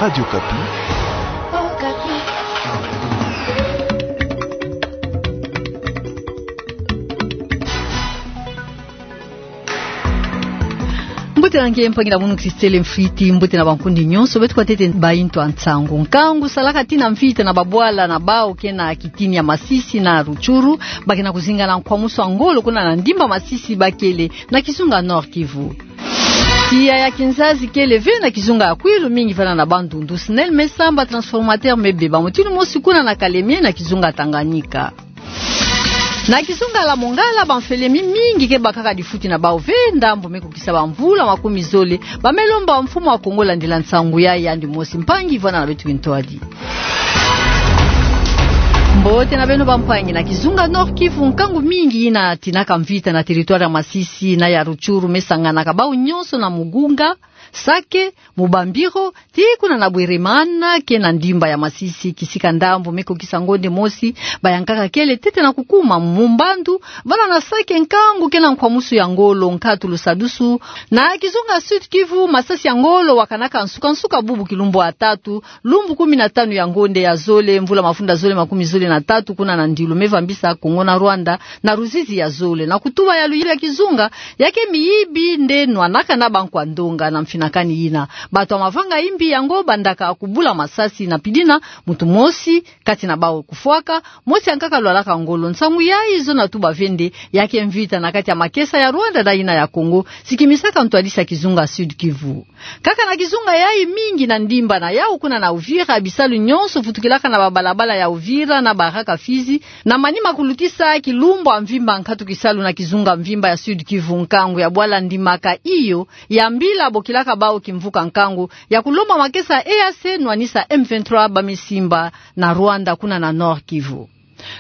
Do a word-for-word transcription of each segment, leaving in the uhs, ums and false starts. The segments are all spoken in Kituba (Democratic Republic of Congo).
Radio Kapi. Mbote na nge mpangi na munu Christelle Mfriti, mbote na bankundi nyonso beto kwa ntete bayi ntu ya nsangu. Nkangu salaka tina mvita na babwala na bawu ke na kitini ya Masisi na Rutshuru, ba ke na kuzinga na nkwamusu ya ngolo kuna na ndimba Masisi bakele na kizunga Nord-Kivu. Tiya ya kinzazi kele ve na kizunga ya Kwilu, mingi vanda na Bandundu. SNEL me samba, transformateur me beba. Mutinu mosi kuna na Kalemie na kizunga Tanganyika. Na kizunga la Mongala, bamfele mi mingi ke bakaka difuti na bawu ve ndambu me kukisa bamvula makumi zole. Ba me lomba Mfumu ya Kongo landila nsangu yayi yandi mosi. Mpangi vanda na beto kintwadi. Mbote na beno bampangi. Na kizunga Nord-Kivu, nkangu mingi yina tinaka mvita na territoire ya Masisi na ya Rutshuru me sanganaka bawu nyonso na Mugunga, Sake, Mubambiro, tii kuna na Bweremana, ke na ndimba ya Masisi, kisika ndambu me kukisa ngonde mosi, ba yankaka kele ntete na kukuma. Mumbandu, vanda na Sake, nkangu ke na nkwamusu ya ngolo, nkatu lusadusu. Na kizunga Sud-Kivu, masasi ya ngolo wakanaka nsuka-nsuka bubu kilumbu ya tatu, lumbu kumi na tanu ya ngonde ya zole, mvula mafunda zole makumi zole na tatu, kuna na ndilu me vambisa Kongo na Rwanda na ruzizi ya zole. Na kutuba ya luyili ya kizunga, ya ke miyibi nde nwanaka na bankwa ndonga na mfinakani yina. Bato ya mavanga yimbi yango bandaka kubula masasi na pidina, muntu mosi kati na bawu kufwaka, mosi yankaka lwalaka ngolo. Nsangu yayi zona tuba ve nde ya ke mvita na kati ya makesa ya Rwanda na yina ya Kongo, sikimisaka ntwadisi ya kizunga Sud-Kivu. Kaka na kizunga yayi, mingi na ndimba na yawu kuna na Uvira, bisalu nyonso vutukilaka na babalabala ya Uvira na Baraka, Fizi, na manima kulutisa kilumbu ya mvimba nkatu kisalu na kizunga mvimba ya Sud-Kivu. Nkangu ya bwala ndimaka iyo ya mbila bokilaka bawu kimvuka nkangu ya kulomba makesa ya E A C nwanisa M vingt-trois ba me simba na Rwanda kuna na Nord-Kivu.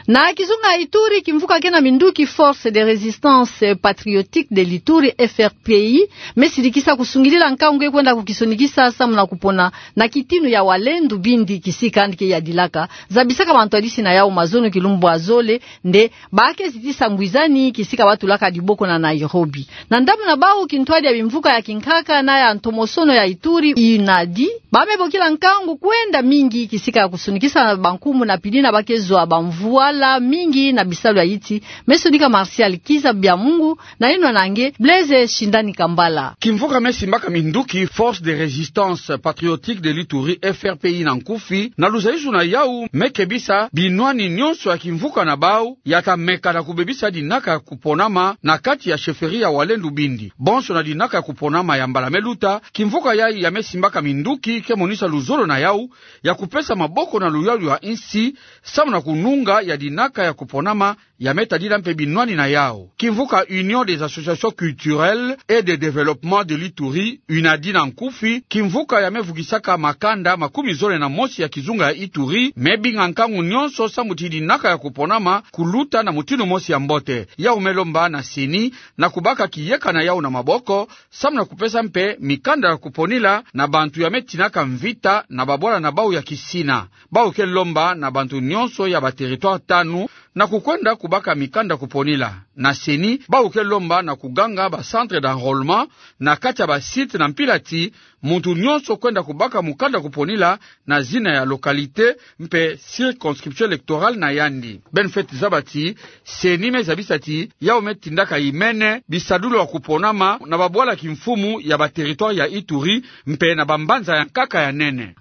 Na kizunga Ituri, kimvuka ke na minduki Force de Résistance Patriotique de l'Ituri, F R P I, me sidikisa kusungidila nkangu ke kwenda kukisonikisa samu na kupona na kitinu ya Walendu Bindi, kisika yandi ke yadilaka. Zabisaka bantwadisi na yawu mazono kilumbu ya zole nde ba ke zitisa ngwizani kisika ba tulaka diboko na Nairobi. Na ndambu na bawu, kintwadi ya bimvuka ya kinkaka na ya ntomosono ya Ituri, UNADI, ba me bokila nkangu kwenda mingi kisika ya kusonikisa bankumbu na pidina ba ke zwa bamvwala mingi na bisalu ya yiti. Me sonika Martial Kiza Biamungu na yinwa na nge Blaise Shindani Kambala. Kimvuka me simbaka minduki Force de Résistance Patriotique de l'Ituri, F R P I na nkufi, na luzayuzu na yawu, me kebisa binwani nyonso ya kimvuka na bawu ya ta meka na kubebisa dinaka ya kuponama na kati ya chefferie ya Walendu Bindi. Bonso na dinaka ya kuponama ya mbala me luta, kimvuka yayi ya me simbaka minduki ke monisa luzolo na yawu ya kupesa maboko na luyalu ya insi, samu na kununga ya dinaka ya kuponama ya me tadila mpe binwani na yawu. Kimvuka Union des Associations Culturelles et de Développement de l'Ituri, UNADI na nkufi, kimvuka ya me vukisaka makanda makumi zole na mosi ya kizunga ya Ituri, me binga nkangu nyonso samu ti dinaka ya kuponama kuluta na mutinu mosi ya mbote. Yawu me lomba na CENI na kubaka kiyeka na yawu na maboko, samu na kupesa mpe mikanda ya kuponila na bantu ya me tinaka mvita na babwala na bawu ya kisina. Bawu ke lomba na bantu nyonso ya ba territoire tanu na kukwenda kubaka mikanda kuponila. Na CENI, bawu ke lomba na kuganga ba centre d'enrôlement na kati ya ba site na mpila ti muntu nyonso kwenda kubaka mukanda kuponila na zina ya localité mpe circonscription électorale na yandi. Ben Feti zaba ti CENI me zabisa ti yawu me tindaka yimene bisadulu ya kuponama na babwala kimfumu ya ba territoire ya Ituri mpe na bambanza ya nkaka ya nene.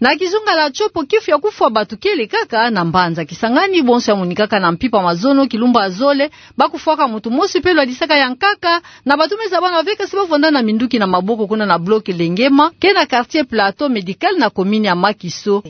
Na kizunga la Tshopo, kifu ya kufwa batu kele kaka na mbanza Kisangani, bonso ya monikaka na mpimpa mazono kilumbu ya zole, ba kufwaka muntu mosi mpe lwadisaka ya nkaka, na batu me zabana ve kasi ba vwanda na minduki na maboko kuna na bloc Lengema, ke na quartier Plateau Médical na commune ya Makiso.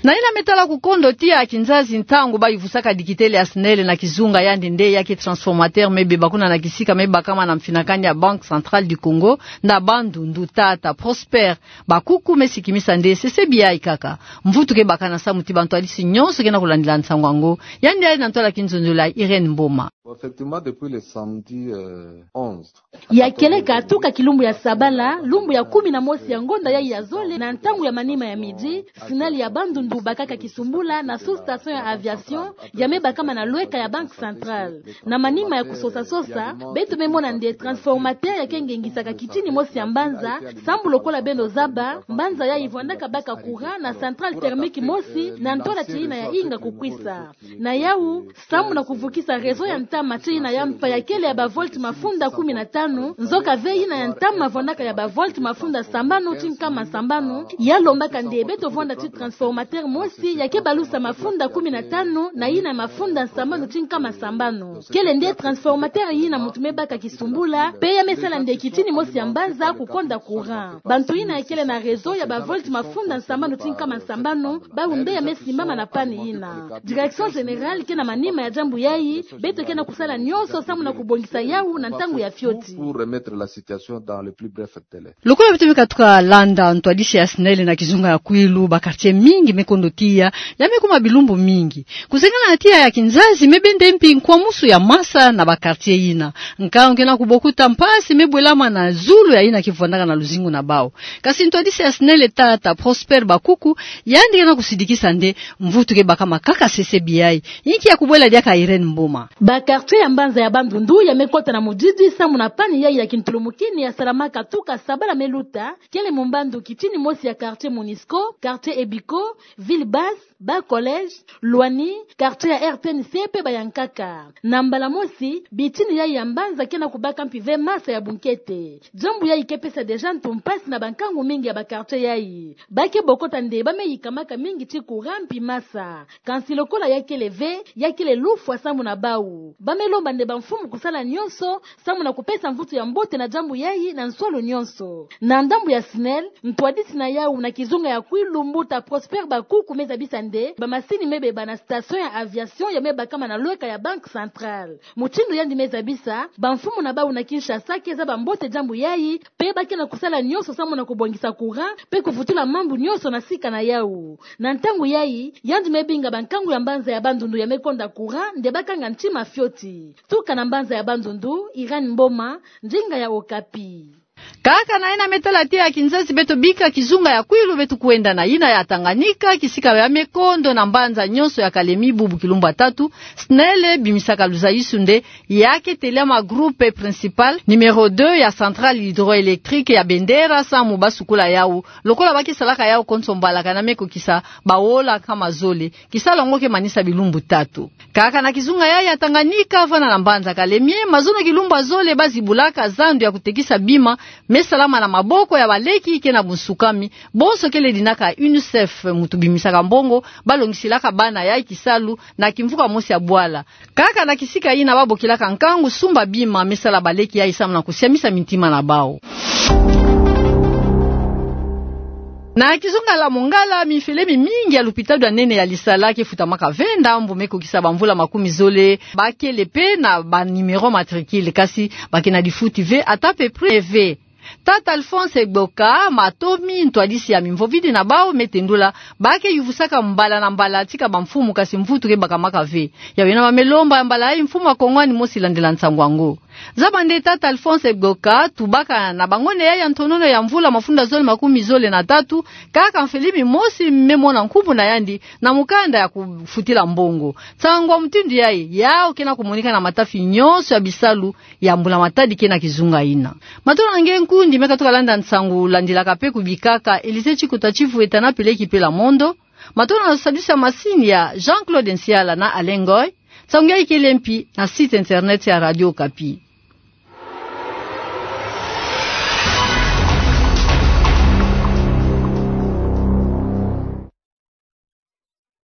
Na yina me tala kukondo tiya ya kinzazi, ntangu ba yuvusaka dikitele ya SNEL na kizunga, yandi nde ya ke transformateur me beba kuna na kisika me bakama na mfinakani ya Banque Centrale du Congo na Bandundu, tata Prosper Bakuku me sikimisa nde sesebi yayi kaka. Mvutu ke bakana samu ti bantwadisi nyonso ke na kulandila nsangu yango. Yandi yali na ntwala kinzonzolo ya Irène Mboma. Effectivement, depuis le samedi, euh, onze. Ya kieleka tuka kilumbu ya sabala, lumbu ya kumi na mosi ya ngonda yayi ya zole, na ntangu ya manima ya midi, SNEL ya Bandundu kubakaka kisumbula na sous-station ya aviation ya me bakama na lweka ya Banque Centrale. Na manima ya kusosa-sosa, beto me mona nde transformateur ya ke ngengisaka kitini mosi ya mbanza, sambu lokola beno zaba, mbanza yayi vwandaka baka courant na centrale thermique mosi na ntola ti yina ya inga kukwisa. Na yawu, sambu na kuvukisa réseau ya ntama ti yina ya mpa ya kele ya ba volts mafunda kumi na tanu, nzoka ve yina ya ntama vwandaka ya ba volts mafunda sambanu ti nkama sambanu, ya lombaka nde beto vwanda ti transformateur mosi ya ke balusa mafunda kumi na tanu na yina ya mafunda sambanu ti nkama sambanu. Kele nde transformateur yina muntu me baka kisumbula, pe ya me sala nde kitini mosi ya mbanza kukonda courant. Bantu yina ya kele na réseau ya ba volts mafunda sambanu ti nkama sambanu, bawu nde ya me simbama na panne yina. Direction générale ke na manima ya diambu yayi, beto ke na kusala nyonso sambu na kubongisa yawu na ntangu ya fioti. Pour remettre la situation dans le plus bref délai. Lokola beto me katuka landa ntwadisi ya SNEL na kizunga ya Kwilu, ba quartiers mingi me kondo tiya, ya me kuma bilumbu mingi. Kusengana na tiya ya kinzazi me bende mpi nkwamusu ya masa na ba quartiers yina. Nkangu ke na kubokuta mpasi me bwelama na zulu ya yina ke vwandaka na luzingu na bawu. Kasi ntwadisi ya SNEL, tata Prosper Bakuku, yandi ke na kusidikisa nde mvutu ke bakama kaka sese biai. Inki ya kubwela diaka Irène Mboma. Ba quartiers ya mbanza ya Bandundu ya me kota na mudidi sambu na panne yayi ya kintulumukini ya salamaka tuka sabala me luta, kele mu mbandu kitini mosi ya quartier Monisco, quartier Ebico, Ville Basse, ba collèges, Loani, quartier ya RTNC pe ba ya nkaka. Na mbala mosi, bitini yayi ya mbanza ke na kubaka mpi ve masa ya bunkete. Diambu yayi ke pesa déjà ntu mpasi na bankangu mingi ya ba quartiers yayi. Ba ke bokota nde ba me yikamaka mingi ti courant mpi masa. Kansi lokola ya kele ve, ya kele lufwa sambu na bawu. Ba me lomba nde bamfumu kusala nyonso sambu na kupesa mvutu ya mbote na diambu yayi na nsolo nyonso. Na ndambu ya SNEL, ntwadisi na yawu na kizunga ya Kwilu, mbuta Prosper Bakuku, me zabisa nde bamasini me beba na station ya aviation ya me bakama na lweka ya Banque Centrale. Mutindu yandi me zabisa, bamfumu na bawu na Kinshasa ke zaba mbote diambu yayi, pe ba ke na kusala nyonso sambu na kubongisa courant pe kuvutula mambu nyonso na sika na yawu. Na ntangu yayi, yandi me binga bankangu ya mbanza ya Bandundu ya me konda courant nde ba kanga ntima fioti. Tuka na mbanza ya Bandundu, Irène Mboma, ndinga ya Okapi. Kaka na yina me tala tiya ya kinzazi, beto bika kizunga ya Kwilu, beto kwenda na yina ya Tanganyika, kisika ya me kondo na mbanza nyonso ya Kalemi bubu kilumbu ya tatu. SNEL bimisaka luzayisu nde ya ke tela ma groupe principal numéro deux ya centrale hydroélectrique ya Bendera sambu ba sukula yawu, lokola ba ke salaka yawu konso mbala kana me kokisa baola nkama zole. Kisalu yango ke manisa bilumbu tatu. Kaka na kizunga yayi ya Tanganyika, vwanda na mbanza Kalemi, mazono kilumbu ya zole ba zibulaka zandu ya kutekisa bima me salama na maboko ya baleki ke na bunsukami, bonso kele dinaka UNICEF, mutu bimisaka mbongo, ba longisilaka bana yayi kisalu na kimvuka mosi ya bwala. Kaka na kisika yina ba bokilaka nkangu sumba bima me sala baleki yayi sambu na kusiamisa mintima na bawu. Na kizunga ya Mongala, mifele mimingi ya lupitalu ya nene ya Lisala ke futamaka ve ndambu me kokisa bamvula makumi zole. Ba kele pe na ba numéro matricule, kasi ba ke na difuti ve, ata pe prix ve. Tata Alphonse Gboka Matomi, ntwadisi ya mimvovidi na bawu, me tendula ba ke yuvusaka mbala na mbala tika bamfumu, kasi mvutu ke bakamaka ve. Yawu yina ba me lomba ya mbala yayi mfumu ya Kongo ani mosi landila nsangu yango. Zaba nde tata Alphonse Gboka, tubaka na bangwene yayi ya ntonono ya mvula mafunda zole makumi zole na tatu, kaka mfilimi mosi me mona nkumbu na yandi na mukanda ya kufutila mbongo. Nsangu ya mutindu yayi, yawu ke na kumonika na matafi nyonso ya bisalu ya Mbula Matadi ke na kizunga yina. Matondo na nge nkundi me katuka landa nsangu, landilaka pe kubikaka Elise Chikota Chivueta na Peleki Pela Mondo. Matondo na sadisi ya masini ya Jean-Claude Nsiala na Alain Ngoy. Nsangu yayi kele mpi na site internet ya Radio Okapi.